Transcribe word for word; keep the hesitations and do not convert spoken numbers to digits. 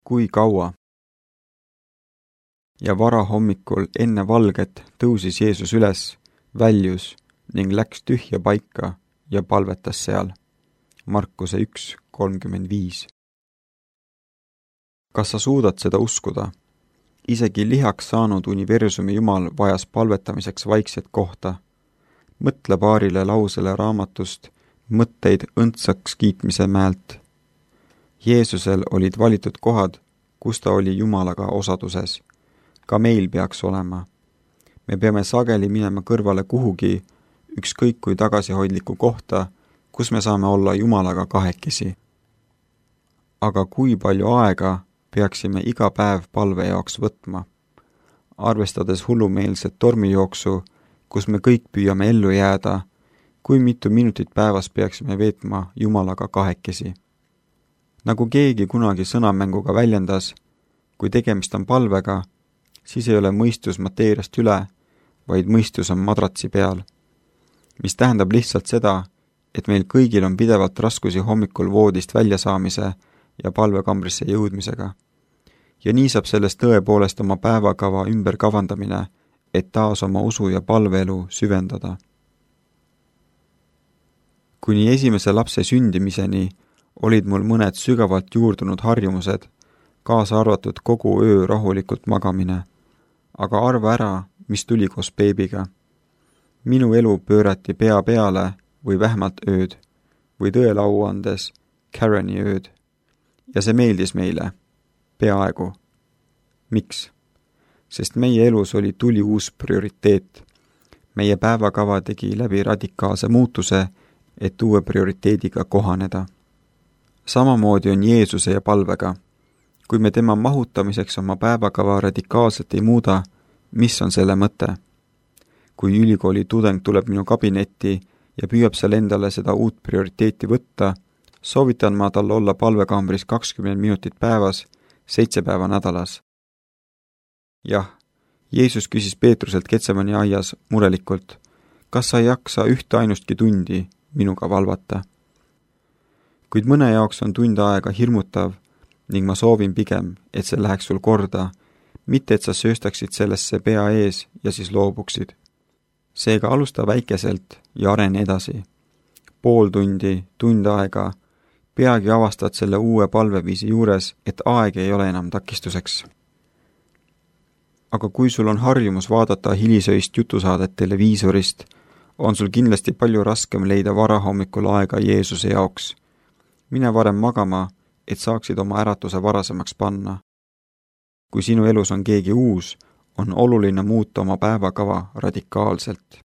kui kaua? Ja varahommikul enne valget tõusis Jeesus üles, väljus ning läks tühja paika ja palvetas seal. Markuse üks kolmkümmend viis. Kas sa suudad seda uskuda? Isegi lihaks saanud universumi Jumal vajas palvetamiseks vaikset kohta. Mõtle paarile lausele raamatust Mõtteid õndsaks kiitmise mäelt. Jeesusel olid valitud kohad, kus ta oli Jumalaga osaduses. Ka meil peaks olema. Me peame sageli minema kõrvale kuhugi, ükskõik kui tagasihoidliku kohta, kus me saame olla Jumalaga kahekesi. Aga kui palju aega peaksime iga päev palve jaoks võtma? Arvestades hullumeelset tormijooksu, kus me kõik püüame ellu jääda, kui mitu minutit päevas peaksime veetma Jumalaga kahekesi? Nagu keegi kunagi sõnamänguga väljendas, kui tegemist on palvega, siis ei ole mõistus mateeriast üle, vaid mõistus on madratsi peal. Mis tähendab lihtsalt seda, et meil kõigil on pidevalt raskusi hommikul voodist väljasaamise ja palvekambrisse jõudmisega. Ja nii saab sellest tõepoolest oma päevakava ümber kavandamine, et taas oma usu ja palveelu süvendada. Kuni esimese lapse sündimiseni olid mul mõned sügavalt juurdunud harjumused, kaasa arvatud kogu öö rahulikult magamine. Aga arva ära, mis tuli koos beebiga. Minu elu pöörati pea peale või vähemalt ööd, või tõele au andes Kareni ööd. Ja see meeldis meile. Peaaegu. Miks? Sest meie elus oli tuli uus prioriteet. Meie päevakava tegi läbi radikaalse muutuse, et uue prioriteediga kohaneda. Samamoodi on Jeesuse ja palvega. Kui me tema mahutamiseks oma päevakava radikaalselt ei muuda, mis on selle mõte? Kui ülikooli tudeng tuleb minu kabinetti ja püüab seal endale seda uut prioriteeti võtta, soovitan ma tal olla palvekambris kakskümmend minutit päevas, seitse päeva nädalas. Jah, Jeesus küsis Peetruselt Getsemani aias murelikult, kas sa ei jaksa ühte ainustki tundi minuga valvata? Kuid mõne jaoks on tund aega hirmutav ning ma soovin pigem, et see läheks sul korda, mitte et sa sööstaksid sellesse pea ees ja siis loobuksid. Seega alusta väikeselt ja arene edasi. Pool tundi, tund aega, peagi avastad selle uue palveviisi juures, et aeg ei ole enam takistuseks. Aga kui sul on harjumus vaadata hilisöist jutusaadet televiisorist, on sul kindlasti palju raskem leida varahommikul aega Jeesuse jaoks. Mine varem magama, et saaksid oma äratuse varasemaks panna. Kui sinu elus on keegi uus, on oluline muuta oma päevakava radikaalselt.